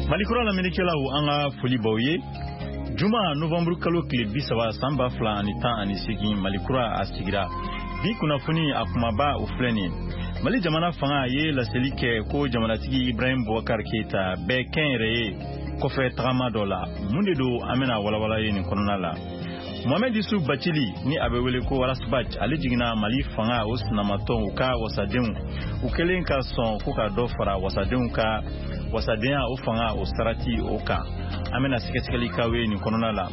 Malikura lamɛnnikɛlaw, an ka foli b'aw ye. Juma, novembre kalo tile 30, san 2018, Malikura a sigira. Bi kunnafoni a kumaba, o filɛ nin ye: Mali jamana fanga ye laseli kɛ ko jamanatigi Ibrahim Boubacar Keita bɛ kɛnyɛrɛye kɔfɛ tagama dɔ la. Mun de don? An bɛna walawala ye nin kɔnɔna la. Mohamed Yusuf Bacili, ni a bɛ wele ko Ras Bath, ale jiginna Mali fanga o sinamatɔn u ka wasadenw, u kɛlen ka sɔn ko ka dɔ fara wasadenw ka wasadenya o fanga o sarati o kan. An bɛna sɛgɛsɛgɛli k'aw ye nin kɔnɔna la.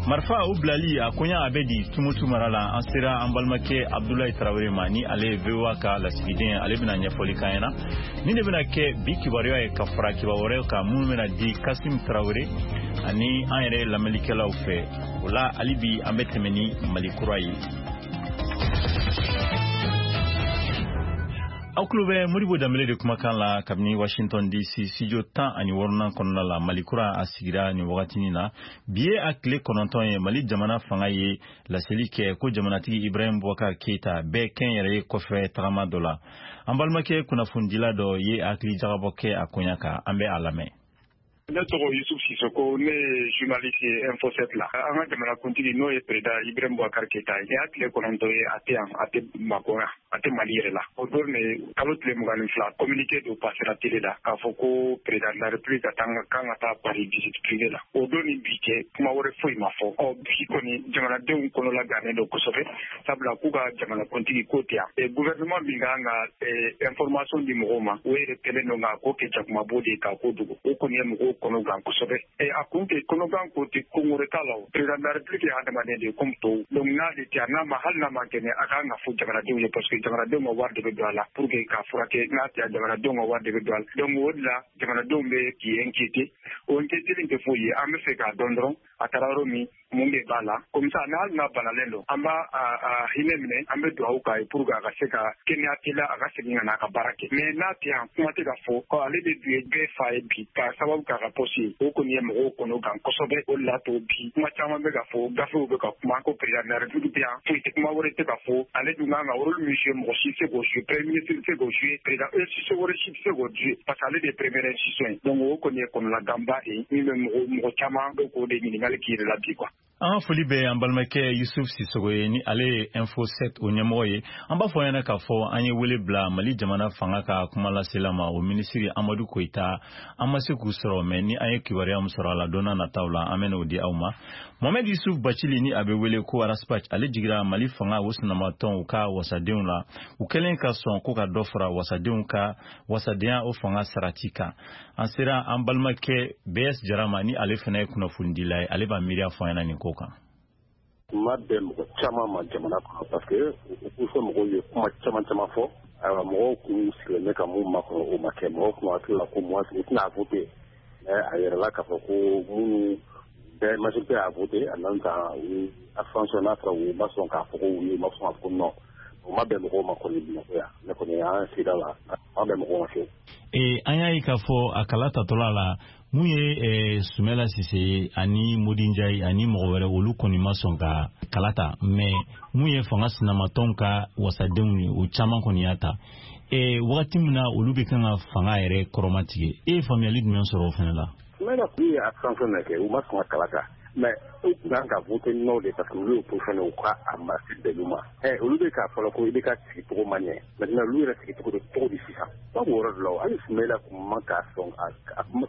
Marifa o bilali a koɲa a bɛ di Tumutu mara la? An sera an balimakɛ Abdulayi Tarawele ma, ni ale ye VOA ka lasigiden, ale bɛna ɲɛfɔli k'an ɲɛna. Nin de bɛna kɛ bi kibaruya ye, ka fara kibaru wɛrɛw kan minnu bɛna di Kasim Tarawele ani an yɛrɛ lamɛnnikɛlaw fɛ. O la, hali bi an bɛ tɛmɛ ni Mali kura ye. Aw tulo bɛ Modibo Danbele de kumakan la kabini Washington DC, studio 16nan kɔnɔna la. Mali kura a sigira nin wagatinin na. Bi ye a tile 9 ye, Mali jamana fanga ye laseli kɛ ko jamanatigi Ibrahim Boubacar Keita bɛɛ kɛnyɛrɛye kɔfɛ tagama dɔ la. An balimakɛ kunnafonidila dɔ ye hakili jagabɔ kɛ a koɲa kan, an bɛ a lamɛn. Ne tɔgɔ Yusuf Sisoko, ne ye journaliste ye Info 7 la. An ka jamanakuntigi, n'o ye président Ibrahim Boubacar Keita ye, y'a tile 9 ye, a tɛ yan, a tɛ Bamakɔ yan, a tɛ Mali yɛrɛ la. O don de, kalo tile 22, communiqué dɔ passera télé la k'a fɔ ko président de la République ka kan ka taa Paris visite privée la. O don ni bi cɛ, kuma wɛrɛ foyi ma fɔ. Ɔ bi kɔni, jamanadenw kɔnɔla gannen don kosɛbɛ, sabula k'u ka jamanakuntigi ko tɛ yan. Gouvernement min kan ka information di mɔgɔw ma, o yɛrɛ kɛlen don k'a ko kɛ jakumabo de ye k'a ko dogo. O kɔni ye mɔgɔw kɔnɔ gan kosɛbɛ. A kun tɛ kɔnɔgan ko tɛ, ko wɛrɛ t'a la. O président de la République ye hadamaden de ye comme tɔw. Donc n'ale tɛ yan, n'a ma, hali n'a ma kɛnɛ, a kan ka fɔ jamanadenw ye, parce que jamanadenw ka wari de bɛ don a la pour que k'a furakɛ. N'a tɛ yan, jamanadenw ka wari de bɛ don a la. Donc o de la jamanadenw bɛ k'i inquiéter. O inquiéter tɛ foyi ye, an bɛ fɛ k'a dɔn dɔrɔn a taara yɔrɔ min, mun de b'a la. Comme ça, hali n'a banalen don, an b'a a hinɛ minɛ, an bɛ dugawu k'a ye pour que a ka se ka kɛnɛya teliya, a ka segin ka na a ka baara kɛ. Mais n'a tɛ yan, kuma tɛ ka fɔ ko ale de dun ye bɛɛ fa ye bi, k'a sababu k'a ka poste ye. O kɔni ye mɔgɔw kɔnɔ gan kosɛbɛ. O de la to bi kuma caman bɛ ka fɔ, gafew bɛ ka kuma ko président de la République bɛ yan, foyi tɛ, kuma wɛrɛ tɛ ka fɔ. Ale dun kan ka rôle min jouer, mɔgɔ si tɛ se k'o jouer, premier ministre tɛ se k'o jouer, président institution wɛrɛ si tɛ se k'o jouer, parce que ale de ye première institution ye. Donc o kɔni ye kɔnɔnaganba de ye min bɛ mɔgɔ caman bɛ k'o de ɲininkali k'i yɛrɛ la bi quoi. An ka foli bɛ an balimakɛ Yusuf Sisogo ye, ni ale ye Info 7 o ɲɛmɔgɔ ye. An b'a fɔ ɲɛna k'a fɔ an ye wele bila Mali jamana fanga ka kumalasela ma, o minisiri Amadu Koyita, an ma se k'u sɔrɔ, mɛ ni an ye kibaruya min sɔrɔ a la don n'a nataw la, an bɛn'o di aw ma. Mohamed Yusuf Bacili, ni a bɛ wele ko Ras Bath, ale jigira Mali fanga o sinamatɔn u ka wasadenw la, u kɛlen ka sɔn ko ka dɔ fara wasadenw ka wasadenya o fanga sarati kan. An sera an balimakɛ BS Jara ma, ni ale fana ye kunnafonidila ye, ale b'a miiriya fɔ an ɲɛna nin ko kan. Ma bɛn mɔgɔ caman ma jamana kɔnɔ, parce que opposition mɔgɔw ye kuma caman caman fɔ. Ayiwa, mɔgɔw kun sigilen bɛ ka mun makɔnɔ, o ma kɛ. Mɔgɔw kun hakili la ko moi u tɛna voter, mais a yɛrɛla k'a fɔ ko minnu bɛɛ majorité y'a voter, en même temps u ye abstention. N'a fɔra u ma sɔn k'a fɔ ko oui, u ma sɔn k'a fɔ ko non, o ma bɛn mɔgɔw ma kɔni Bamakɔ yan. Ne kɔni an sigida la, a ma bɛn mɔgɔw ma fiyewu. An y'a ye k'a fɔ a kala tatɔla la, mun ye Sumɛla Sise ye ani Modi Njayi ani mɔgɔ wɛrɛ, olu kɔni ma sɔn ka kala ta, mais mun ye fanga sinamatɔnw ka wasadenw ye, o caman kɔni y'a ta. Wagati min na olu bɛ kan ka fanga yɛrɛ kɔrɔmatigɛ, e ye faamuyali jumɛn sɔrɔ o fana la? Sumɛla k'u ye abstention de kɛ, u ma sɔn ka kala ta, mais u tun kan ka voter non de, parce que olu ye opposition de, u ka a ma se bɛn ma. Olu bɛ k'a fɔlɔ ko i bɛ ka sigi cogo ma ɲɛ. Maintenant olu yɛrɛ sigi cogo bɛ cogo di sisan? Ba b'o yɔrɔ de la. Hali Sumɛla kun man ka sɔn a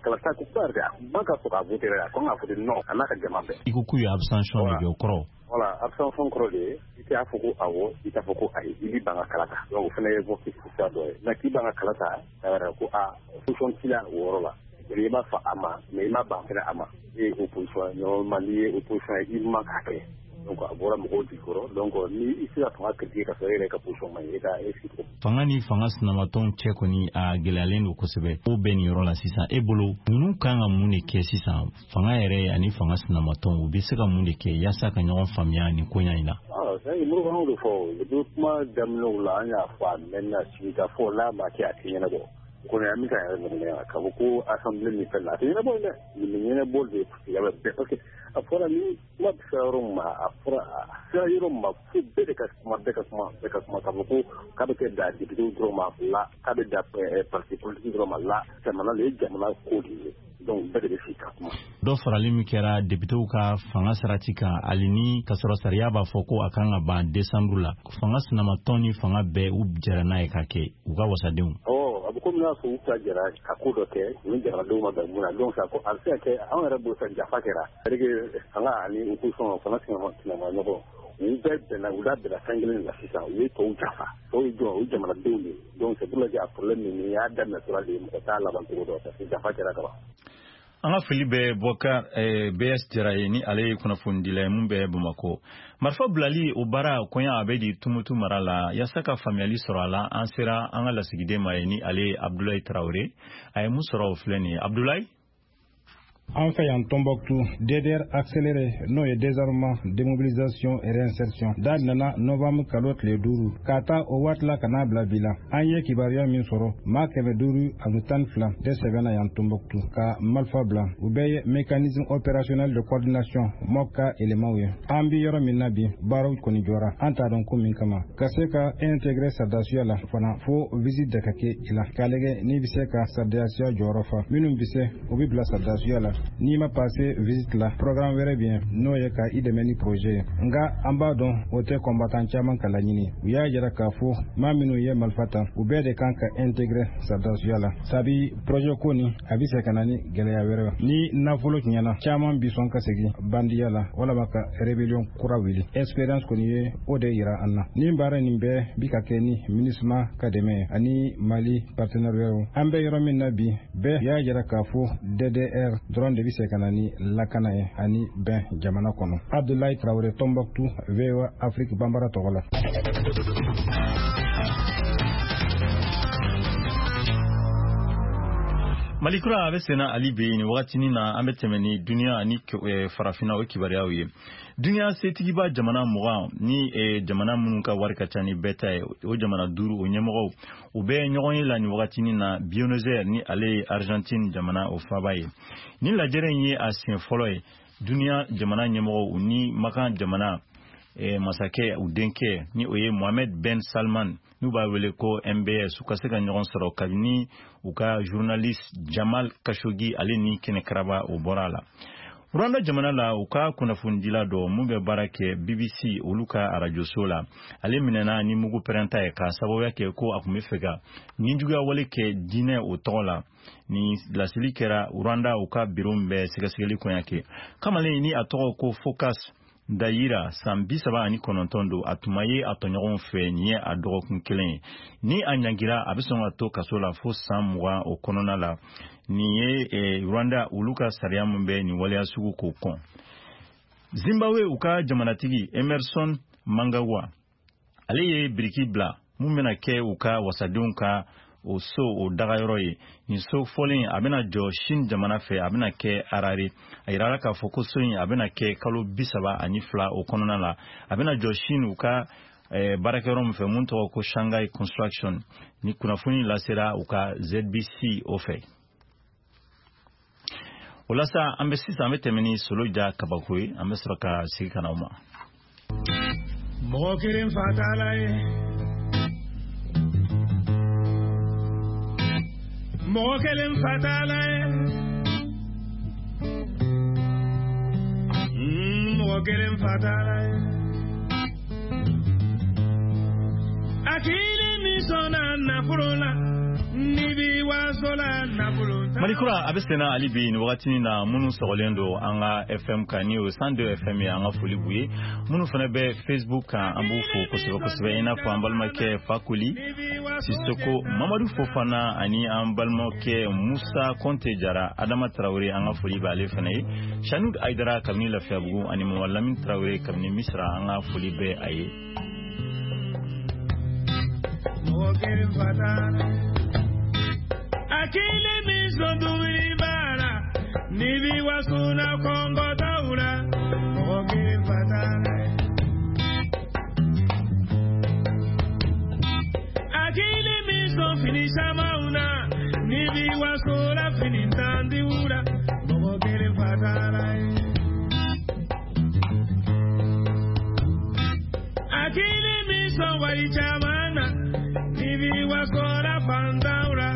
kala ta ko kuma yɛrɛ, a kun man ka sɔn ka voter yɛrɛ, a kan ka voter non, a n'a ka jama bɛɛ. I ko k'u ye abstention de kɛ, o kɔrɔ? Voilà, abstention kɔrɔ de ye i t'a fɔ ko awɔ, i t'a fɔ ko ayi, i b'i ban ka kala ta. Donc o fana ye vote suguya dɔ ye. Mais k'i ban ka kala ta, a yɛrɛ ko a position t'i la o yɔrɔ la. I m'a fɔ a ma, mais i ma ban fɛnɛ a ma. E ye opposition ye, normalement n'i ye opposition ye, i man k'a kɛ. Donc a bɔra mɔgɔw jigi kɔrɔ. Donc ni i se ka fanga critiquer ka sɔrɔ e yɛrɛ ka position ma ɲi, e ka e sigi cogo. Fanga ni fanga sinamatɔnw cɛ kɔni a gɛlɛyalen don kosɛbɛ. Ko bɛɛ nin yɔrɔ la sisan, e bolo ninnu kan ka mun de kɛ sisan? Fanga yɛrɛ ani fanga sinamatɔnw, u bɛ se ka mun de kɛ yaasa ka ɲɔgɔn faamuya nin koɲa in na? Moribanw de fɔ depuis kuma daminɛw la, an y'a fɔ a mɛnna, sigikafɔ n'a ma kɛ, a tɛ ɲɛnabɔ. Kɔni an bɛ ka yɛrɛ nɛgɛ k'a fɔ ko assemblée min fɛn na, a tɛ ɲɛnabɔ dɛ. Nin bɛ ɲɛnabɔ de bɛɛ, parce que a fɔra ni kuma bɛ sera yɔrɔ min ma, a fɔra a sera yɔrɔ min ma fo bɛɛ de ka kuma, bɛɛ ka kuma, bɛɛ ka kuma. K'a fɔ ko k'a bɛ kɛ da député dɔrɔn ma la, k'a bɛ da parti politique dɔrɔn ma la, jamana de ye jamana ko de ye. Donc bɛɛ de bɛ sigi ka kuma. Dɔ farali min kɛra depitew ka fanga sarati kan, hali ni ka sɔrɔ sariya b'a fɔ ko a kan ka ban desanburu la, fanga sinamatɔn ni fanga bɛɛ u jɛra n'a ye ka kɛ u ka wasadenw. A bɛ komi n'a fɔ u ka jɛra ka ko dɔ kɛ ni jamanadenw ma bɛn mun na. Donc ko a bɛ se ka kɛ anw yɛrɛ bolo sa jafa kɛra, c'est à dire que fanga ani opposition, fanga sinama ɲɔgɔn, u bɛɛ bɛnna, u da bɛnna fɛn kelen de la sisan, u ye tɔw jafa. Tɔw ye jɔn? O ye jamanadenw de ye. Donc c'est pour ça que a problème nin y'a daminɛ tora de, mɔgɔ t'a laban cogo dɔn, parce que jafa kɛra ka ban. An ka foli bɛ Bɔkar BS Jara ye, ni ale ye kunnafonidila ye mun bɛ Bamakɔ. Marifa bilali o baara koɲa a bɛ di Tumutu mara la. Yaasa ka faamuyali sɔrɔ a la, an sera an ka lasigiden ma ye, ni ale ye Abdulayi Tarawele. A ye mun sɔrɔ o filɛ nin ye. Abdulayi. An fɛ yan Tombouctou, DDR accéléré, n'o ye désarmement, démobilisation et réinsertion, daminɛna novembre kalo tile 5 ka taa o waati la ka n'a bila bi la. An ye kibaruya min sɔrɔ, maa 512 de sɛbɛnna yan Tombouctou ka marifa bila. U bɛɛ ye mécanisme opérationnel de coordination MOC ka éléments ye. An bi yɔrɔ min na bi, baaraw kɔni jɔra, an t'a dɔn ko min kama. Ka se ka intégrer sardasiya la fana, fo visite de ka kɛ i la k'a lajɛ n'i bɛ se ka sardasiya jɔyɔrɔ fa. Minnu bɛ se, u bɛ bila sardasiya la. N'i ma passé visite la, programme wɛrɛ bɛ yen, n'o ye ka i dɛmɛ ni projet ye. Nka an b'a dɔn o tɛ combattant caman ka laɲini. U y'a jira k'a fɔ maa minnu ye marifa ta, u bɛɛ de kan ka intégrer sardasiya la, sabi projet ko nin a bɛ se ka na ni gɛlɛya wɛrɛ. Ni nafolo tiɲɛna, caman bi sɔn ka segin bandiya la walama ka rébellion kura wuli. Expérience kɔni ye o de yira an na. Nin baara nin bɛɛ bi ka kɛ ni MINUSMA ka dɛmɛ ye ani Mali partenaire wɛrɛw. An bɛ yɔrɔ min na bi, bɛɛ y'a jira k'a fɔ DDR dɔrɔn de bɛ se ka na ni lakana ye ani bɛn jamana kɔnɔ. Abdoulaye Traoré, Tombouctou, VOA Afrique Bambara tɔgɔ la. Malikura a bɛ senna hali bi nin wagatinin na. An bɛ tɛmɛ ni duniya ani farafinna o kibaruyaw ye. Duniya setigiba jamana 20 ni jamana minnu ka wari ka ca ni bɛɛ ta ye, o jamana 5 o ɲɛmɔgɔw, u bɛ ɲɔgɔn ye la nin wagatinin na Buenos Aires, ni ale ye Argentine jamana o faaba ye. Nin lajɛrɛ in ye a siɲɛ fɔlɔ ye duniya jamana ɲɛmɔgɔw u ni Makan jamana masakɛ u denkɛ, ni o ye Mohamed Ben Salman, n'u b'a wele ko MBS, u ka se ka ɲɔgɔn sɔrɔ kabini u ka journaliste Jamal Khashoggi ale ni kɛnɛkaraba o bɔra a la. Rwanda jamana la, u ka kunnafonidila dɔ mun bɛ baara kɛ BBC olu ka arajoso la, ale minɛna ni mugu pɛrɛnta ye k'a sababuya kɛ ko a tun bɛ fɛ ka nijuguya wale kɛ diinɛ o tɔgɔ la. Ni laseli kɛra Rwanda u ka biro min bɛ sɛgɛsɛgɛli koɲa kɛ. Kamalen ni a tɔgɔ ko Focus Dayira, san 39 don, a tun ma ye a tɔɲɔgɔnw fɛ nin ye a dɔgɔkun kelen ye. Ni a ɲangira, a bɛ sɔn ka to kaso la fo san 20 o kɔnɔna la. Nin ye Rwanda olu ka sariya min bɛ nin waleya sugu k'o kɔn. Zimbabwe u ka jamanatigi Emerson Mnangagwa, ale ye biriki bila mun bɛna kɛ u ka wasadenw ka o so o dagayɔrɔ ye. Nin so fɔlen a bɛna jɔ Chine jamana fɛ, a bɛna kɛ Harare. A yirala k'a fɔ ko so in a bɛna kɛ kalo 32 o kɔnɔna la. A bɛna jɔ Chine u ka baarakɛyɔrɔ min fɛ mun tɔgɔ ko Shanghai Construction. Ni kunnafoni lasera u ka ZBC o fɛ. O la sa, an bɛ sisan an bɛ tɛmɛ ni Solo ja kabako ye, an bɛ sɔrɔ ka sigi ka na o ma. Mɔgɔ kelen fatala ye, mɔgɔ kelen fatala ye, mɔgɔ kelen fatala ye. Hakili min sɔnna nafolo la, ni bi waso la nafolo. Malikura a bɛ senna hali bi nin wagatinin na. Minnu sɔgɔlen don an ka FM kan, ni o ye 102 FM ye, an ka foli b'u ye. Minnu fana bɛ Facebook kan, an b'u fo kosɛbɛ kosɛbɛ, i n'a fɔ an balimakɛ Fakoli Sisoko, Mamadu Fofana ani an balimakɛ Musa Kɔnte Jara, Adama Tarawele, an ka foli b'ale fana ye, Sanud Ayidara kabini Lafiyabugu ani Mama Lamini Tarawele kabini Misira, an ka foli bɛ a ye. Mɔgɔ kelen fatala, hakili min sɔn dumuni b'a la, ni bi waso la kɔngɔ t'aw la, mɔgɔ kelen fatala. Hakili min sɔn fini camanw na, ni bi waso la fini tantiw la, mɔgɔ kelen fatala ye. Hakili min sɔn wari caman na, ni bi waso la fantanw la,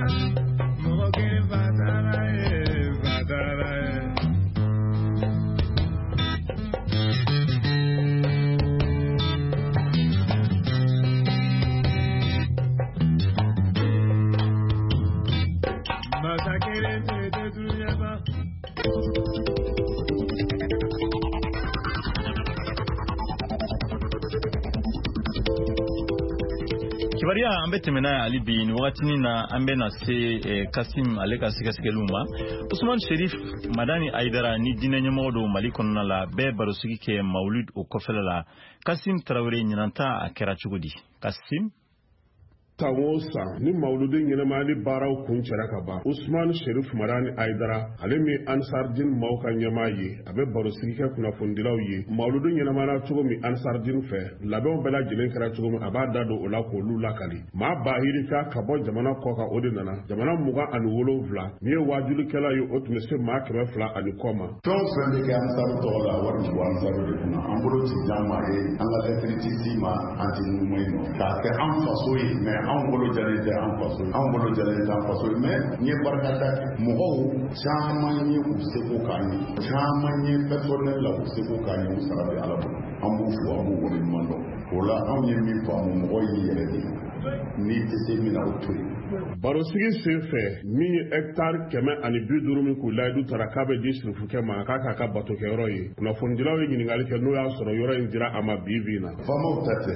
mɔgɔ kelen fatala ye, fatala. kelen tɛ dunuya ban. Kibaruya an bɛ tɛmɛ n'a ye hali bi nin wagatinin na, an bɛ na se Kasim ale ka sɛgɛsɛgɛliw ma. Usman Sherif Madani Ayidara ni diinɛ ɲɛmɔgɔ don Mali kɔnɔna la, bɛɛ barosigi kɛ Mawulud o kɔfɛla la. Kasim Tarawele, ɲinanta a kɛra cogo di? Kasim. San o san ni mawuludi ɲɛnamayali baaraw kun cɛra ka ban, Usman Sherif Madani Ayidara, ale min Ansardin maaw ka ɲɛmaa ye, a bɛ barosigi kɛ kunnafonidilaw ye mawuludu ɲɛnamayara cogo min Ansardin fɛ, labɛnw bɛɛ lajɛlen kɛra cogo min, a b'a da don o la k'olu lakali. Maa bahirika ka bɔ jamana kɔ kan, o de nana jamana 27 min ye waajulikɛla ye, o tun bɛ se maa 200 ani kɔ ma. Fɛn o fɛn bɛ kɛ Ansaru tɔgɔ la, wari bɛ bɔ Ansaru de kunna. An bolo ti d'an ma ye, an ka lɛtiri ti s'i ma, an ti ŋunuma i nɔfɛ k'a kɛ an faso ye, mɛ anw bolo jalen tɛ an faso ye, anw bolo jalen tɛ an faso ye. Mɛ n ye barikada kɛ, mɔgɔw caman ye u seko k'an ye, caman ye personnel la u seko k'an ye, u sara bɛ Ala bolo. An b'u fo, an b'u waleɲuman dɔn. O la anw ye min faamu, mɔgɔ y'i yɛrɛ de ye, n'i tɛ se min na, o to yen. Barosigi sen fɛ, min ye hɛkitari 150 min k'u layidu tara k'a bɛ di sirifukɛ ma k'a k'a ka batokɛyɔrɔ ye, kunnafonidilaw ye ɲininkali kɛ n'o y'a sɔrɔ yɔrɔ in dira a ma bi bi in na. Faamaw ta tɛ,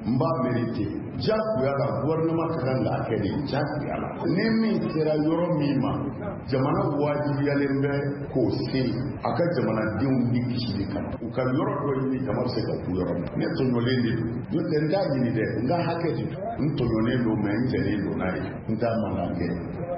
n b'a mérité jagoya la, gouvernement ka kan k'a kɛ de jagoya la. Ni min sera yɔrɔ min ma, jamana wajibiyalen bɛ k'o se a ka jamanadenw ni kisili kama, u ka yɔrɔ dɔ ɲini jama bɛ se ka ku yɔrɔ min. Ne tɔɲɔlen de don, n'o tɛ n t'a ɲini dɛ, n ka hakɛ de don. N tɔɲɔnen don, mɛ n jɛlen don n'a ye, n t'a mankan kɛ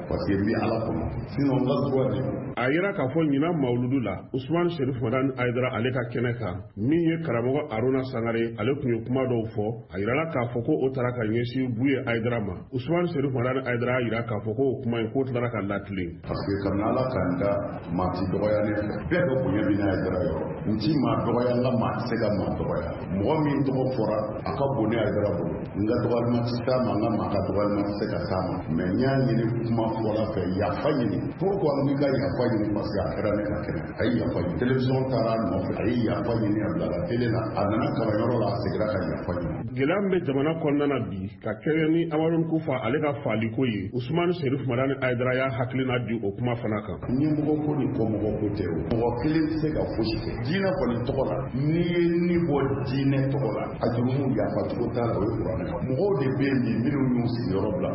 parce que n bɛ Ala kɔnɔ, sinon n ka droit de don. A yira k'a fɔ ɲinan mawuludu la, Usman Sherif Madani Ayidara ale ka kɛnɛ kan, min ye karamɔgɔ Aruna Sangare, ale tun ye kuma dɔw fɔ. A yirala k'a fɔ ko o taara ka ɲɛsin Buye Ayidara ma. Usman Sherif Madani Ayidara y'a yira k'a fɔ ko o kuma in k'o tilara ka latilen. Parce que kabini Ala k'an da, maa ti dɔgɔya ne fɛ, bɛɛ ka bonya bɛ ne Ayidara yɔrɔ. N ti maa dɔgɔya, n ka maa tɛ se ka maa dɔgɔya. Mɔgɔ min tɔgɔ fɔra, a ka bon ne Ayidara bolo. N ka dɔgɔyalima tɛ s'a ma, n ka maa ka dɔgɔyalima tɛ se ka s'a ma. Mɛ n y'a ɲini kuma fɔla fɛ, yafa ɲini. Pourquoi n k'i ka yafa ɲini? Parce que a kɛra ne ka kɛnɛ. A ye yafa ɲini. Télévision taara a nɔfɛ, a ye yafa ɲini, a bilala télé la, a nana kalanyɔrɔ la, a seginna ka yafa ɲini. Gɛlɛya min bɛ jamana kɔnɔna na bi ka kɛɲɛ ni Amadu Kufa ale ka faliko ye, Usman Sherif Madani Ayidara y'a hakilina di o kuma fana kan. Ɲɛmɔgɔ ko ni kɔmɔgɔ ko tɛ o. Mɔgɔ kelen tɛ se ka fosi kɛ. Diinɛ kɔni tɔgɔ la, n'i ye ni bɔ diinɛ tɔgɔ la, a jurumu yafa cogo t'a la, o ye kuranɛ. Mɔgɔw de bɛ yen bi minnu y'u sigiyɔrɔ bila,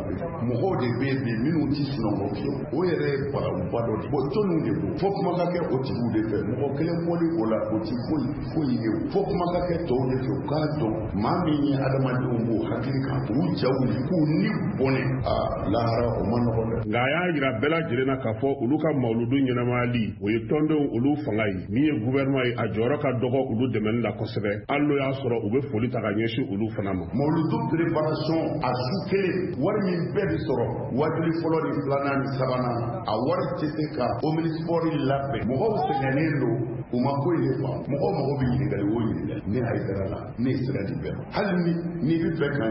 mɔgɔw de bɛ yen bi minnu ti sunɔgɔ fiyewu. O yɛrɛ ye balawuba dɔ de ye. Bon, jɔnniw de don? Fo kuma ka kɛ o tigiw de fɛ. Mɔgɔ kelen bɔli o la, o ti foyi foyi ye o. Fo kuma ka kɛ tɔw de fɛ, u k'a dɔn maa min ye adamadenw b'u hakili kan, k'u ja wuli, k'u ni bɔnɛ, a lahara o ma nɔgɔn dɛ. Nka a y'a yira bɛɛ lajɛlen na k'a fɔ olu ka mawuludu ɲɛnamayali, o ye tɔndenw olu fanga ye. Min ye gouvernement ye, a jɔyɔrɔ ka dɔgɔ olu dɛmɛni la kosɛbɛ, hali n'o y'a sɔrɔ u bɛ foli ta ka ɲɛsin olu fana ma. Mawuludu préparation a su kelen, wari min bɛɛ bɛ sɔrɔ wajuli fɔlɔ ni filanan ni sabanan, a wari tɛ se ka omnisport labɛn. Mɔgɔw sɛgɛnnen don, u ma ko in de faamu. Mɔgɔw mago bɛ ɲininkali o ɲininkali, ne Hayidara la, ne ye sira di bɛɛ ma. Hali ni n'i bɛ fɛ ka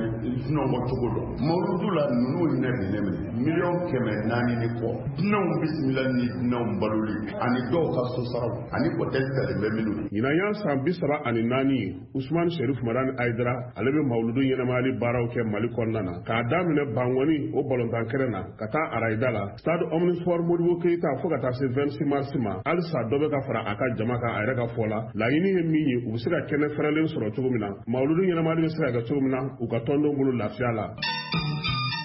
sunɔgɔ cogo dɔn, mawuludu la ninnu hinɛ bɛ ne minɛ, 400 000 ni kɔ, dunanw bisimila ni dunanw baloli ani dɔw ka so saraw ani hôtel talen bɛ minnu ye. Ɲinan y'a san 34 ye, Usman Sherif Madani Ayidara ale bɛ mawuludu ɲɛnamayali baaraw kɛ Mali kɔnɔna na, k'a daminɛ Bangɔni o balontan kɛnɛ na ka taa Arayida la, stade omnisport Modibo Keyita, fo ka taa se 26 mars ma. Halisa dɔ bɛ ka fara a ka jama kan. A yɛrɛ ka fɔ la, laɲini ye min ye, u bɛ se ka kɛnɛ fɛrɛlen sɔrɔ cogo min na, mawuludu ɲɛnamayali bɛ se ka kɛ cogo min na u ka tɔndenw bolo lafiya la.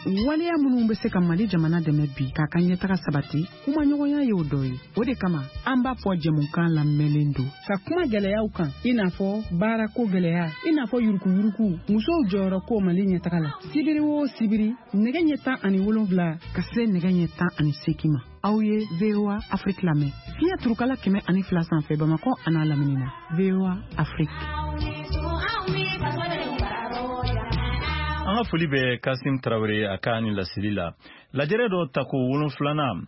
Waleya minnu bɛ se ka Mali jamana dɛmɛ bi k'a ka ɲɛtaga sabati, kumaɲɔgɔnya y'o dɔ ye. O de kama an b'a fɔ jɛmukan lamɛnlen don ka kuma gɛlɛyaw kan, i n'a fɔ baarako gɛlɛya, i n'a fɔ yurukuyuruku, musow jɔyɔrɔ ko Mali ɲɛtaga la. Sibiri o sibiri, nɛgɛ ɲɛ 17 ka se nɛgɛ ɲɛ 18 ma, aw ye VOA Afrique lamɛn fiɲɛ turukala 102 sanfɛ, Bamakɔ an'a lamini na. VOA Afrique. An ka foli bɛ Kasim Tarawele a ka ni laseli la. Lajɛrɛ dɔ tako wolonfilanan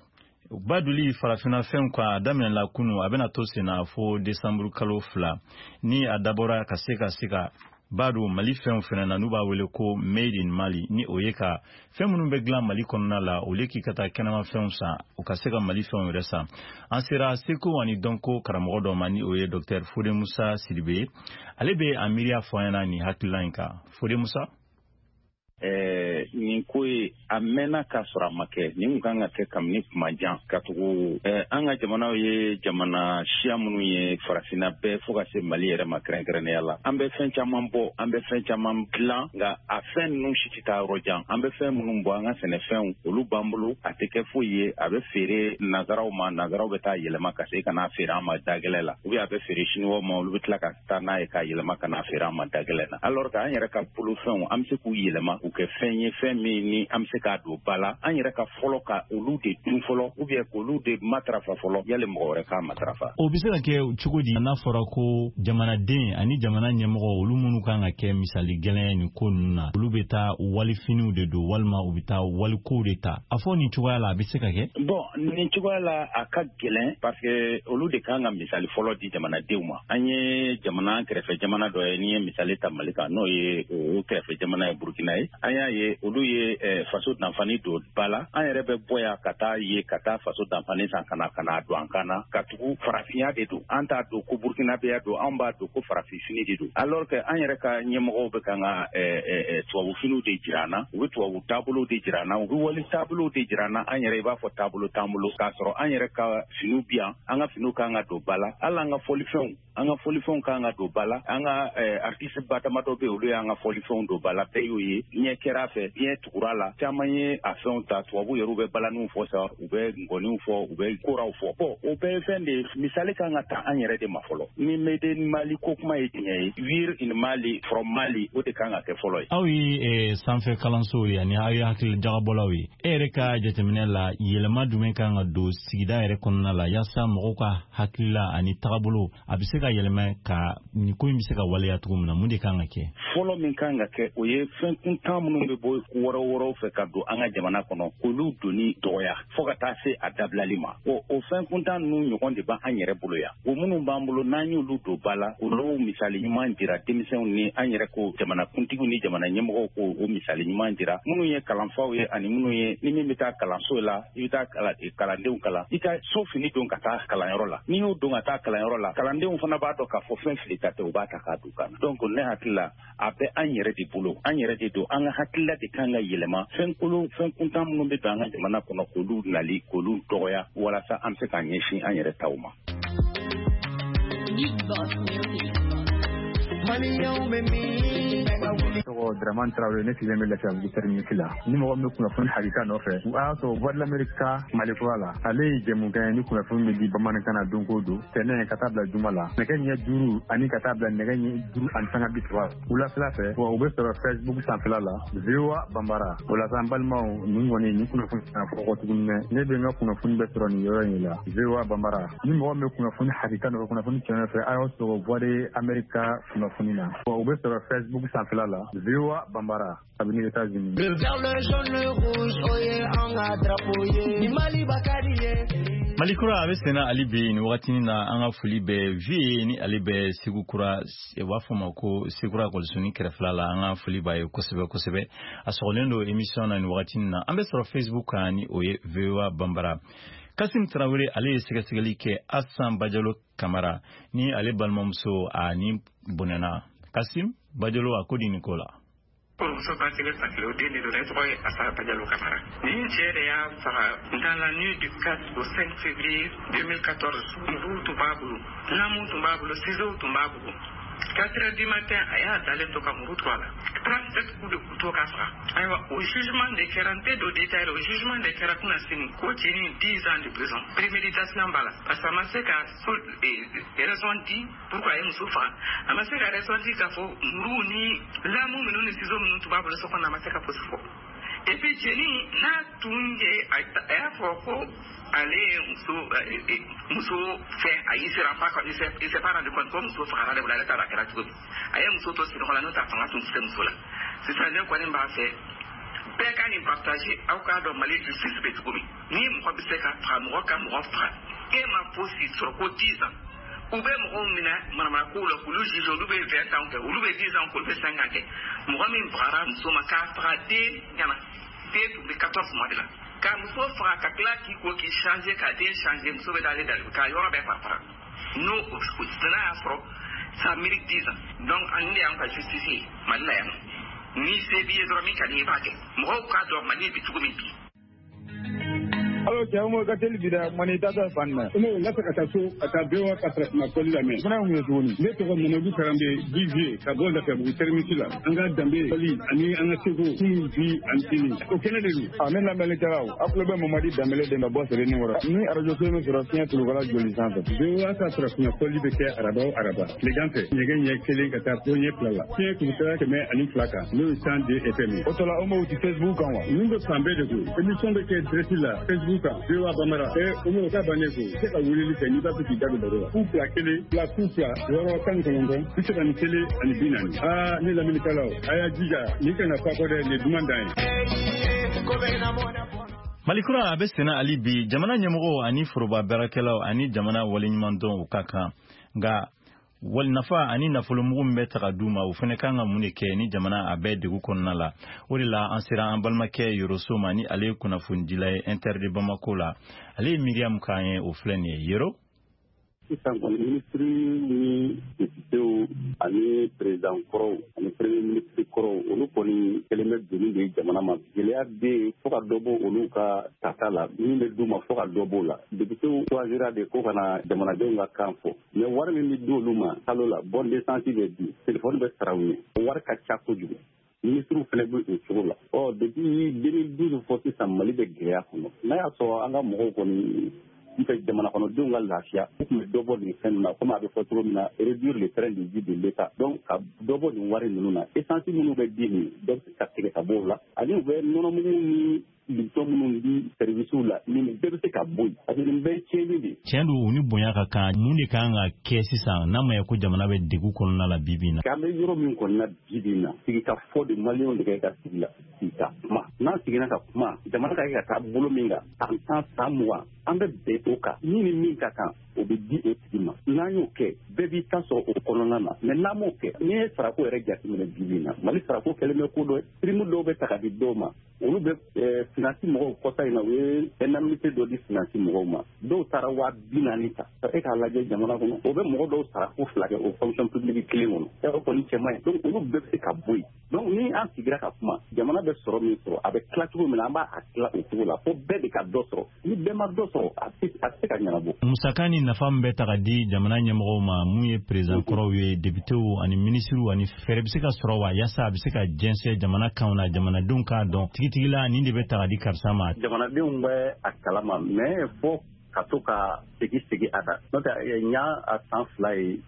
baduli farafinna fɛnw kan, a daminɛla kunu, a bɛna to senna fo desanburu kalo 2, ni a dabɔra ka se ka se ka ba don Mali fɛnw fɛnɛ na, n'u b'a wele ko Made in Mali, ni o ye ka fɛn minnu bɛ dilan Mali kɔnɔna la, olu k'i ka taa kɛnɛma fɛnw san, u ka se ka Mali fɛnw yɛrɛ san. An sera seko ani dɔnko karamɔgɔ dɔ ma, ni o ye Dr Fode Musa Sidibe ye. Ale bɛ a miiriya fɔ an ɲɛna nin hakilila in kan. Fode Musa. Nin ko ye a mɛnna k'a sɔrɔ a ma kɛ. Nin kun kan ka kɛ kabini kuma jan, ka tugu an ka jamanaw ye jamana siya minnu ye farafinna bɛɛ fo ka se Mali yɛrɛ ma kɛrɛnkɛrɛnnenya la. An bɛ fɛn caman bɔ, an bɛ fɛn caman dilan, nka a fɛn ninnu si tɛ taa yɔrɔ jan. An bɛ fɛn minnu bɔ, an ka sɛnɛfɛnw, olu b'an bolo, a tɛ kɛ foyi ye, a bɛ feere nazaraw ma, nazaraw bɛ taa yɛlɛma ka se ka n'a feere an ma dagɛlɛ la, ou bien a bɛ feere siniwaw ma, olu bɛ tila ka taa n'a ye k'a yɛlɛma ka n'a feere an ma dagɛlɛ na. Alors que an yɛrɛ ka bolofɛnw, an bɛ se k'u yɛlɛma k'u kɛ fɛn ye, fɛn min ni an bɛ se k'a don ba la, an yɛrɛ ka fɔlɔ ka olu de dun fɔlɔ, ou bien k'olu de matarafa fɔlɔ yali mɔgɔ wɛrɛ k'a matarafa. O bɛ se ka kɛ cogo di n'a fɔra ko jamanaden ani jamana ɲɛmɔgɔ, olu minnu kan ka kɛ misali gɛlɛn ye nin ko ninnu na, olu bɛ taa walifiniw de don walima u bɛ taa walikow de ta? A fɔ nin cogoya la, a bɛ se ka kɛ? Bon, nin cogoya la, a ka gɛlɛn, parce que olu de kan ka misali fɔlɔ di jamanadenw ma. An ye jamana kɛrɛfɛ jamana dɔ ye, n'i ye misali ta Mali kan, n'o ye o kɛrɛfɛ jamana ye Burukina ye, an y'a ye olu ye faso danfani don ba la. An yɛrɛ bɛ bɔ yan ka taa ye ka taa faso danfani san ka na don an kan na, ka tugu farafinya de don. An t'a don ko burukinabeya don, an b'a don ko farafinfini de don, alors que an yɛrɛ ka ɲɛmɔgɔw bɛ kan ka tubabufiniw de jira an na, u bɛ tubabu taabolow de jira an na, u bɛ wali taabolow de jira an na. An yɛrɛ i b'a fɔ taabolo t'an bolo, k'a sɔrɔ an yɛrɛ ka finiw bi yan, an ka finiw kan ka don ba la, hali an ka fɔlifɛnw, an ka fɔlifɛnw kan ka don ba la. An ka artiste ba damadɔ bɛ yen, olu y'an ka fɔlifɛnw don ba la, bɛɛ y'o ye, diɲɛ kɛra a fɛ, diɲɛ tugura la, caman ye a fɛnw ta. Tubabu yɛrɛw bɛ balaniw fɔ sa, u bɛ ngɔniw fɔ, u bɛ koraw fɔ. Bon, o bɛɛ ye fɛn de ye, misali kan ka ta an yɛrɛ de ma fɔlɔ. Ni made in Mali ko kuma ye tiɲɛ ye, wear in Mali, from Mali, o de kan ka kɛ fɔlɔ ye. Aw ye sanfɛ kalansow ye ani aw ye hakili jagabɔlaw ye, e yɛrɛ ka jateminɛ la, yɛlɛma jumɛn kan ka don sigida yɛrɛ kɔnɔna la yaasa mɔgɔw ka hakilila ani tagabolo a bɛ se ka yɛlɛma, ka nin ko in bɛ se ka waleya cogo min na? Mun de kan ka kɛ? Fɔlɔ min kan ka kɛ, o ye fɛn kuntan minnu bɛ bɔ wɔrɔ wɔrɔw fɛ ka don an ka jamana kɔnɔ, k'olu donni dɔgɔya fo ka taa se a dabilali ma. O fɛn kuntan ninnu ɲɔgɔn de b'an yɛrɛ bolo yan. O minnu b'an bolo, n'an y'olu don ba la, olu misali ɲuman jira denmisɛnw ni an yɛrɛ ko jamanakuntigiw ni jamana ɲɛmɔgɔw ko o misali ɲuman jira minnu ye kalanfaw ye, ani minnu ye ni min bɛ taa kalanso la, i bɛ taa kalandenw kalan, i ka so fini don ka taa kalanyɔrɔ la. N'i y'o don ka taa kalanyɔrɔ la, kalandenw fana b'a dɔn k'a fɔ fɛn fili ta tɛ, u b'a ta k'a don kan na. Donc ne hakili la, a bɛ an yɛrɛ de bolo, an yɛrɛ de don, an ka hakilila de kan ka yɛlɛma. Fɛn kolon, fɛn kuntan minnu bɛ don an ka jamana kɔnɔ, k'olu nali k'olu dɔgɔya walasa an bɛ se k'an ɲɛsin an yɛrɛ taw ma. Tɔgɔ Dramane Traoré, ne sigilen bɛ Lafiyabugu terminus la. Ni mɔgɔ min bɛ kunnafoni hakika nɔfɛ, u y'a sɔrɔ Voix de l'Amérique ka Mali kura la. Ale ye jɛmukan ye ni kunnafoni bɛ di bamanankan na don o don, tɛnɛn ka taa bila juma la, nɛgɛ ɲɛ 5 ani ka taa bila nɛgɛ ɲɛ 5:30 wulafɛla fɛ. Wa u bɛ sɔrɔ Facebook sanfɛla la, VOA Bambara. O la sa, n balimaw, nin kɔni nin kunnafoni kana fɔ kɔ tuguni dɛ. Ne bɛ n ka kunnafoni bɛɛ sɔrɔ nin yɔrɔ in la, VOA Bambara. Ni mɔgɔ min bɛ kunnafoni hakika nɔfɛ, kunnafoni tiɲɛ nɔfɛ, a y'aw sɔrɔ Voix de l'Amérique ka kunnafoni na. Wa u bɛ sɔrɔ Facebook sanfɛla la, VOA Bambara, kabini États-Unis. Le vert, le jaune, le rouge, o ye an ka drapeau ye. Ni Maliba ka di ye. Mali kura a bɛ senna hali bi nin wagatinin na. An ka foli bɛ vie ni ale bɛ Segu kura, u b'a fɔ ma ko Segukura ekɔlisonin kɛrɛfɛla la. An ka foli b'a ye kosɛbɛ kosɛbɛ, a sɔgɔlen don émission na nin wagatinin na. An bɛ sɔrɔ Facebook kan ni o ye VOA Bambara. Kasim Tarawele, ale ye sɛgɛsɛgɛli kɛ Asan Bajalo Kamara ni ale balimamuso a ni bɔnɛna. Kasim Bajalo, a ko di nin ko la? Kɔrɔmuso ba kelen fa kelen, o den de don. Ne tɔgɔ ye Asa Bajalo Kamara. Nin cɛ de y'a faga dans la nuit du 4 au 5 février 2014. Muruw tun b'a bolo, lamuw tun b'a bolo, ciseaux tun b'a bolo. 4 heures du matin, a y'a dalen to ka muru to a la, 37 coups de couteau k'a faga. Ayiwa, o jugement de kɛra, n tɛ don détail la, o jugement de kɛra kunna sini ko cɛ ni 10 ans de prison, préméditation b'a la, parce que a ma se ka raison di pourquoi a ye muso faga. A ma se ka raison di k'a fɔ muru ni lamu minnu ni ciseaux minnu tun b'a bolo so kɔnɔ, a ma se ka fosi fɔ. Et puis cɛnin n'a tun ye, a y'a fɔ ko ale ye muso fɛn, a y'i sera pas, il s'est pas rendu compte ko muso fagara de bolo. Ale t'a dɔn a kɛra cogo min, a ye muso to sunɔgɔ la, n'o tɛ a fanga tun tɛ se muso la. Sisan ne kɔni b'a fɛ bɛɛ ka nin partage, aw k'a dɔn Mali justice bɛ cogo min. Ni mɔgɔ bɛ se ka faga, mɔgɔ ka mɔgɔ faga, e ma fosi sɔrɔ ko 10 ans. U bɛ mɔgɔw minɛ manamana kow la k'olu juge, olu bɛ 20 ans kɛ, olu bɛ 10 ans kɛ, olu bɛ 5 ans kɛ. Mɔgɔ min bagara muso ma k'a faga den ɲɛna, den tun bɛ 14 mois de la, ka muso faga ka tila k'i ko k'i changer, ka den changer, muso bɛ d'ale da k'a yɔrɔ bɛɛ fara fara, n'o n'a y'a sɔrɔ, ça mérite 10 ans. Donc an de y'an ka justice ye Mali la yan. Ni se b'i ye dɔrɔn, min ka di i b'a kɛ. Mɔgɔw k'a dɔn Mali bɛ cogo min bi. Alo, cɛ Umaru, ka teli bi dɛ, mani tata fan na. Umaru, n ka fɛ ka taa so ka taa VOA ka farafinna fɔli lamɛn. Fana mun ye tuguni? Ne tɔgɔ Mamadu Karambe Didier, ka bɔ Lafiyabugu terminus la. An ka danbe fɔli ani an ka seko, kunun, bi ani sini, o kɛnɛ de don. A ne lamɛnnikɛlaw, aw tulo bɛ Mamadi Danbele de ka bɔ Sebenikɔrɔ. Ni arajo so min sɔrɔ fiɲɛ tulukala joli sanfɛ. VOA ka farafinna fɔli bɛ kɛ araba o araba tilegan fɛ, nɛgɛ ɲɛ 1 ka taa fo ɲɛ 2 la, fiɲɛ kulukala 102 kan, n'o ye 102 FM ye. O tɔla, Umaru ti Facebook kan wa? Ninnu bɛ fan bɛɛ de koyi. Émission bɛ kɛ direct la Facebook kan, VOA Bambara. Umaru ka bannen koyi, se ka weleli kɛ n'i b'a fɛ k'i da don baro la. 0 2 1 2 0 6 19 31 40. Aa, ne lamɛnnikɛlaw, a y'a jija, nin kana fa kɔ dɛ, nin ye duman dan ye. Malikura a bɛ senna hali bi. Jamana ɲɛmɔgɔw ani foroba baarakɛlaw ani jamana waleɲumandɔn, o ka kan, nka wali nafa ani nafolomugu min bɛ ta ka d'u ma, o fana kan ka mun de kɛ ni jamana a bɛɛ degun kɔnɔna la? O de la an sera an balimakɛ Yoroso ma, ni ale ye kunnafonidila ye Inter de Bamako la. Ale ye miiriya min k'an ye, o filɛ nin ye, Yoro. Sisan kɔni, minisiri ni députéw ani président kɔrɔw ani premier ministre kɔrɔw, olu kɔni kɛlen bɛ doni de ye jamana ma. Gɛlɛya bɛ yen fo ka dɔ bɔ olu ka tata la, min bɛ d'u ma, fo ka dɔ b'o la. Députéw choisira de ko ka na jamanadenw ka kan fɔ, mais wari min bɛ di olu ma kalo la, bon d'essence bɛ di, téléphone bɛ sara u ye, o wari ka ca kojugu. Ministres fana bɛ o cogo la. Ɔ, depuis 2012 fɔ sisan, Mali bɛ gɛlɛya kɔnɔ. N'a y'a sɔrɔ an ka mɔgɔw kɔni n fɛ jamana kɔnɔdenw ka lafiya, u tun bɛ dɔ bɔ nin fɛn ninnu na, komi a bɛ fɔ cogo min na, réduire le train de vie de l'État. Donc ka dɔ bɔ nin wari ninnu na, essence minnu bɛ di nin, dɔ bɛ se ka tigɛ ka bɔ o la, ani u bɛ nɔnɔmugu ni Lipton minnu di service la, nin bɛɛ bɛ se ka bɔ yen, parce que nin bɛɛ ye tiɲɛni de ye. Tiɲɛ don, u ni bonya ka kan. Mun de kan ka kɛ sisan, n'a ma ye ko jamana bɛ degun kɔnɔna la bi bi in na? An bɛ yɔrɔ min kɔni na bi bi in na, sigi ka fɔ de, Maliyɛnw de kɛ ka sigi la, sigi ka kuma. N'an seginna ka kuma, jamana ka kɛ ka taa bolo min kan, san 10, san 20, an bɛ bɛn o kan. Min ni min ka kan, o bɛ di o tigi ma. N'an y'o kɛ, bɛɛ b'i ta sɔrɔ o kɔnɔna na. Mais n'an m'o kɛ, n'i ye sarako yɛrɛ jateminɛ bi bi in na, Mali sarako kɛlen bɛ ko dɔ ye. Prime dɔw bɛ ta ka di dɔw ma, olu bɛ finance mɔgɔw. Kɔsa in na, u ye indemnité dɔ di finance mɔgɔw ma, dɔw taara 40.000 ta. E k'a lajɛ, jamana kɔnɔ, o bɛ mɔgɔ dɔw sara ko fila kɛ o fonction publique kelen kɔnɔ. O kɔni cɛ man ɲi. Donc olu bɛɛ bɛ se ka bɔ yen. Donc ni an sigira ka kuma, jamana bɛ sɔrɔ min sɔrɔ, a bɛ tila cogo min na, an b'a tila o cogo la fo bɛɛ de ka dɔ sɔrɔ. Ni bɛɛ ma dɔ sɔrɔ, a tɛ se ka ɲɛnabɔ. Musaka ni nafa min bɛ ta ka di jamana ɲɛmɔgɔw ma, mun ye président kɔrɔw ye, députéw ani ministres, ani fɛɛrɛ bɛ se ka sɔrɔ wa, yaasa a bɛ se ka jɛnsɛn jamana kanw na, jamanadenw k'a dɔn tigitigi la nin de bɛ ta ka di karisa ma? Jamanadenw bɛ a kalama, mais fo ka to ka segin segin a kan. N'o tɛ, n y'a a san 2 ye,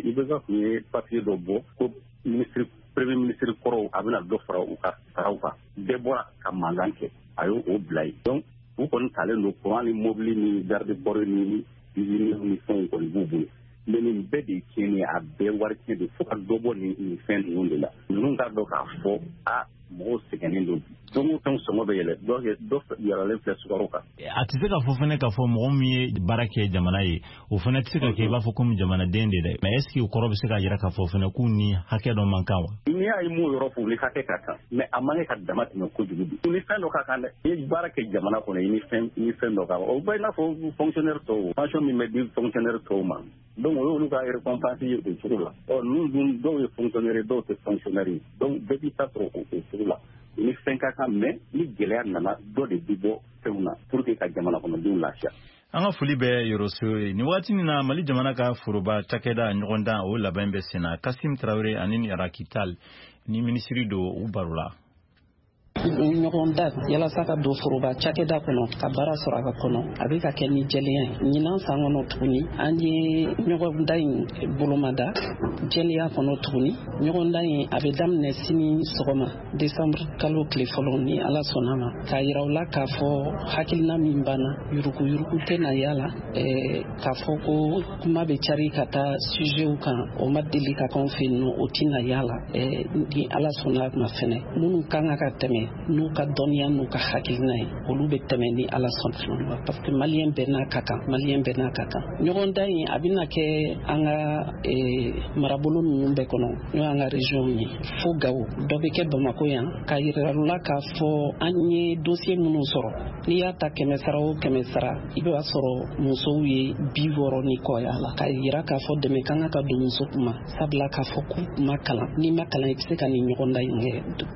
IBK tun ye papier dɔ bɔ ko ministre, premier ministre kɔrɔw, a bɛna dɔ fara u ka saraw kan. Bɛɛ bɔra ka mankan kɛ, a y'o o bila yen. Donc u kɔni talen don, courant ni mobili ni garde corps ni usine ni fɛnw kɔni b'u bolo. Mais nin bɛɛ de ye tiɲɛni ye, a bɛɛ wari tiɲɛ de. Fo ka dɔ bɔ nin fɛn ninnu de la. Ninnu k'a dɔn k'a fɔ a mɔgɔw sɛgɛnnen don bi. Don o fɛn sɔngɔ bɛ yɛlɛ, dɔ yɛlɛlen filɛ sukaro kan. A tɛ se ka fɔ fɛnɛ k'a fɔ mɔgɔ min ye baara kɛ jamana ye, o fɛnɛ tɛ se ka kɛ i b'a fɔ komi jamanaden de dɛ. Mais est ce que o kɔrɔ bɛ se ka yira k'a fɔ fɛnɛ k'u ni hakɛ dɔ man kan wa? N'i y'a ye, m'o yɔrɔ fɔ, u ni hakɛ ka kan, mais a man kɛ ka dama tɛmɛ kojugu bi. U ni fɛn dɔ ka kan dɛ. I ye baara kɛ jamana kɔnɔ, i ni fɛn, i ni fɛn dɔ ka kan. O bɛ i n'a fɔ fonctionnaire tɔw, pension min bɛ di fonctionnaire tɔw ma. Donc o y'olu ka récompense ye o cogo la. Ɔ, ninnu dun, dɔw ye fonctionnaire ye, dɔw tɛ fonctionnaire ye. Donc bɛɛ b'i ta sɔrɔ o cogo la. Ni fɛn ka kan, mais ni gɛlɛya nana, dɔ de bi bɔ fɛnw na pour que ka jamana kɔnɔdenw lafiya. An ka foli bɛ Yoroso ye. Nin waati nin na, Mali jamana ka foroba cakɛda ɲɔgɔndan, o labɛn bɛ sen na. Kasim Tarawele ani Rakital ni minisiri don, u baro la. Ɲɔgɔn da yalasa ka don foroba cakɛda kɔnɔ ka baara sɔrɔ a ka kɔnɔ, a bɛ ka kɛ ni jɛlenya ye. Ɲinan san kɔnɔ tuguni, an ye ɲɔgɔnda in bolomada jɛlenya kɔnɔ tuguni. Ɲɔgɔnda in a bɛ daminɛ sini sɔgɔma, desanburu kalo tile fɔlɔ, ni Ala sɔnna ma, k'a yira u la k'a fɔ hakilina min banna, yuruguyurugu tɛna yala, k'a fɔ ko kuma bɛ cari ka taa sujetw kan, o ma deli ka k'anw fɛ yen nɔ, o tɛna yala, ni Ala sɔnna ma. Fɛnɛ minnu kan ka tɛmɛ n'u ka dɔnniya n'u ka hakilina ye, olu bɛ tɛmɛ ni Ala sɔnna, parce que maliyɛn bɛɛ n'a ka kan, maliyɛn bɛɛ n'a ka kan. Ɲɔgɔndan in a bɛna kɛ an ka marabolo ninnu bɛɛ kɔnɔ, n'o y'an ka région ye, fo Gawo, dɔ bɛ kɛ Bamakɔ yan, k'a yira la k'a fɔ an ye dossier minnu sɔrɔ. N'i y'a ta 100 sara o 100 sara, i b'a sɔrɔ musow ye 60 ni kɔ y'a la, k'a yira k'a fɔ dɛmɛ ka kan ka don muso kuma, sabula k'a fɔ k'u ma kalan. N'i ma kalan, i tɛ se ka nin ɲɔgɔndan in kɛ.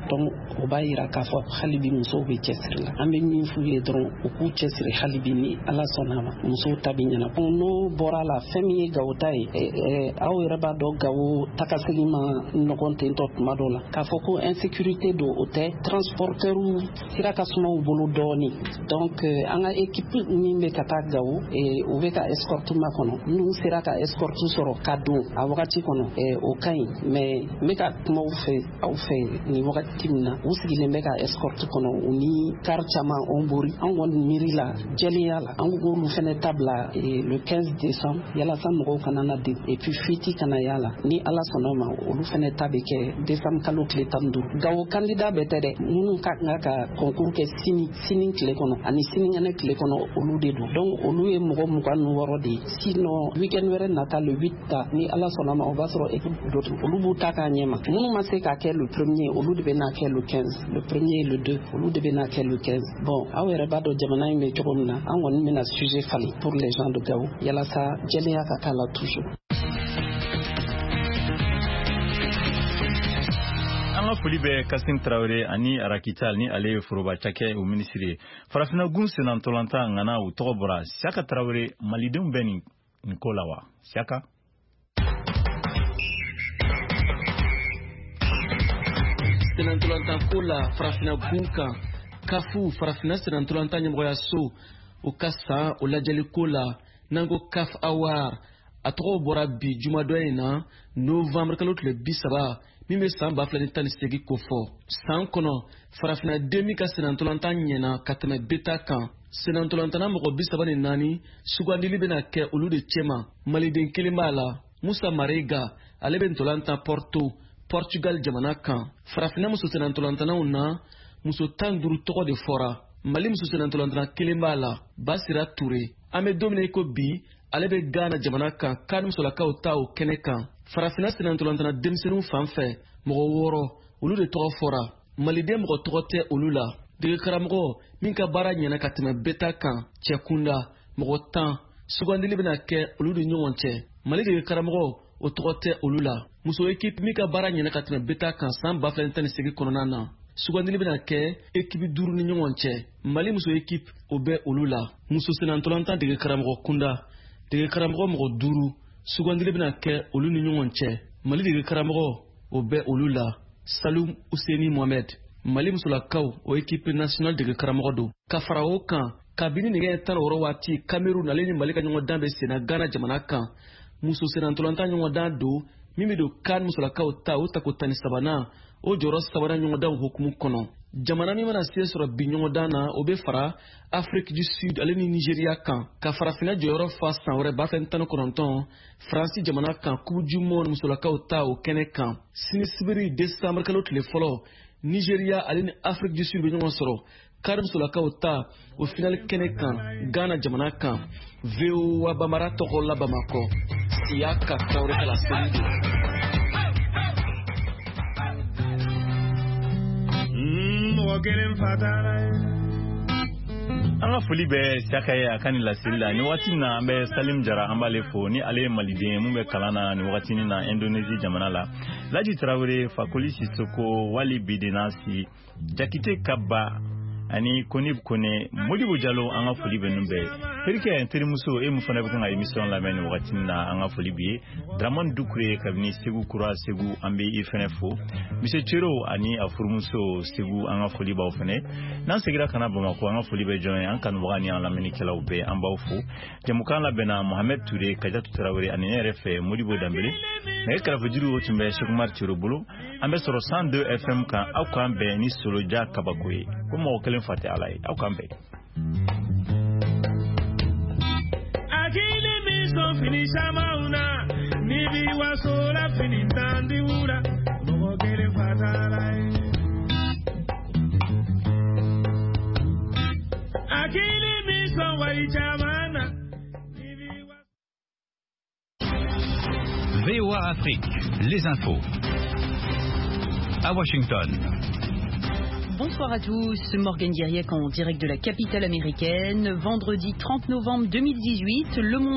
Donc o b'a yira k'a fɔ hali bi musow bɛ cɛsiri la. An bɛ min f'u ye dɔrɔn, u k'u cɛsiri hali bi, ni Ala sɔnna a ma, musow ta bɛ ɲɛna. N'o bɔra la, fɛn min ye Gawo ta ye, aw yɛrɛ b'a dɔn Gawo takasegin ma nɔgɔn tentɔ tuma dɔw la. K'a fɔ ko insécurité don, o tɛ, transporteur sira ka suma u bolo dɔɔni. Donc an ka équipe min bɛ ka taa Gawo, u bɛ ka escorte makɔnɔ. N'u sera ka escorte sɔrɔ ka don a wagati kɔnɔ, o ka ɲi. Mais n bɛ ka kuma aw fɛ nin wagati min na, u sigilen bɛ ka escorte kɔnɔ, u ni car caman on bori. An kɔni miiri la jɛlenya la, an k'olu fɛnɛ ta bila le 15 décembre, yalasa mɔgɔw kana na den et puis fuite kana y'a la. Ni Ala sɔnna ma, olu fɛnɛ ta bɛ kɛ décembre kalo tile 15. Gawo candidat bɛɛ tɛ dɛ, minnu ka kan ka concours kɛ sini sini tile kɔnɔ ani sinikɛnɛ tile kɔnɔ, olu de don. Donc olu ye mɔgɔ 26 de ye. Sinon week-end wɛrɛ nata, le 8 ta, ni Ala sɔnna ma, o b'a sɔrɔ équipe dɔ olu b'u ta k'a ɲɛma. Minnu ma se k'a kɛ le premier, olu de bɛ n'a kɛ le 15, le premier et le 2, olu de bɛ n'a kɛ le 15. Bon, aw yɛrɛ b'a dɔn jamana in bɛ cogo min na, an kɔni bɛna sujet falen pour les gens de Gao, yalasa jɛlenya ka k'a la toujours. An ka foli bɛ Kasim Tarawele ani Arakital, ni ale ye foroba cakɛ o minisiri ye. Farafinna gun sennantolatan ŋana, u tɔgɔ bɔra. Siyaka Tarawele, malidenw bɛ nin ko la wa, Siyaka? Sennantolatan ko la farafinna gun kan, kafu farafinna sennantolatan ɲɛmɔgɔyaso o ka san o lajɛli ko la, n'an ko CAF Award, a tɔgɔ bɔra bi jumadɔ in na, novembre kalo tile 30, min bɛ san 2018 kofɔ. San kɔnɔ, farafinna den min ka sennantolatan ɲɛna ka tɛmɛ beta kan, sennantolatanna mɔgɔ 34 sugandili bɛna kɛ olu de cɛma. Maliden kelen b'a la, Musa Marega, ale bɛ ntolan tan Porto, Portugal jamana kan. Farafinna muso sennantolatannaw na, muso 15 tɔgɔ de fɔra. Mali muso sennantolatanna kelen b'a la, Basira Ture. An bɛ don min na i ko bi, ale bɛ Ghana jamana kan, CAN musolakaw ta o kɛnɛ kan. Farafinna sennantolatanna denmisɛnninw fan fɛ, mɔgɔ 6, olu de tɔgɔ fɔra. Maliden mɔgɔ tɔgɔ tɛ olu la. Degekaramɔgɔ min ka baara ɲɛna ka tɛmɛ beta kan cɛkunda, mɔgɔ 10, sugandili bɛna kɛ olu ni ɲɔgɔn cɛ. Mali degekaramɔgɔ, o tɔgɔ tɛ olu la. Muso ekipe min ka baara ɲɛna ka tɛmɛ beta kan san 2018 kɔnɔna na, sugandili bɛna kɛ ekipe 5 ni ɲɔgɔn cɛ. Mali muso ekipe, o bɛ olu la. Muso sennantolatan degekaramɔgɔ kunda, degekaramɔgɔ mɔgɔ 5, sugandili bɛna kɛ olu ni ɲɔgɔn cɛ. Mali degekaramɔgɔ, o bɛ olu la, Salum Useni Mohamed. Mali musolakaw o ekipe nationale degekaramɔgɔ don. Ka fara o kan, kabini nɛgɛ 16 waati, Cameroun ale ni Mali ka ɲɔgɔndan bɛ senna Ghana jamana kan. Muso sennantolatan ɲɔgɔndan don min bɛ don CAN musolakaw ta o tako 13nan, o jɔyɔrɔ sabanan ɲɔgɔndanw hukumu kɔnɔ. Jamana min mana se sɔrɔ bi ɲɔgɔndan na, o bɛ fara Afrique du Sud ale ni Nigeria kan, ka farafinna jɔyɔrɔ fa san wɛrɛ 2019 Faransi jamana kan, Coupe du monde musolakaw ta o kɛnɛ kan. Sini sibiri décembre kalo tile fɔlɔ, Nigeria ale ni Afrique du Sud bɛ ɲɔgɔn sɔrɔ CAN musolakaw ta o finale kɛnɛ kan Ghana jamana kan. VOA Bambara tɔgɔ la Bamakɔ, Siyaka Tarawele ka laseli don. Mɔgɔ kelen fa taara ye. An ka foli bɛ Siyaka ye a ka nin laseli la. Nin waati na, an bɛ Salim Jara, an b'ale fo, ni ale ye maliden ye mun bɛ kalan na nin wagatinin na Indonésie jamana la. Laji Tarawele, Fakoli Sisoko, Wali Bidenasi, Jakite Kaba ani Konib Kone, Modibo Jalo, an ka foli bɛ ninnu bɛɛ. Terikɛ n terimuso, e mun fana bɛ kan ka émission lamɛn nin wagati na, an ka foli b'i ye. Dramane Dukure kabini Segu Kura Segu, an bɛ i fɛnɛ fo. Monsieur Cero ani a furumuso Segu, an ka foli b'aw fɛnɛ. N'an seginna ka na Bamakɔ, an ka foli bɛ jɔn ye? An kanubaga ni an lamɛnnikɛlaw bɛɛ, an b'aw fo. Jɛmukan labɛnna Mohamed Ture, Kajatu Tarawele ani ne yɛrɛ fɛ Modibo Danbele. Nɛgɛ karafejuru o tun bɛ Sekumar Cero bolo. An bɛ sɔrɔ 102 FM kan. Aw k'an bɛn ni Soloja kabako ye. Ko mɔgɔ kelen fa tɛ Ala ye. Aw k'an bɛn. Akili mi sɔn fini camanw na, ni bi waso la fini tan di wura, mɔgɔ kelen fa t'a la ye. wari caman na. VOA Afrique, les infos. À Washington. Bonsoir à tous, Morgan Guiriec en direct de la capitale américaine. Vendredi 30 novembre 2018, le monde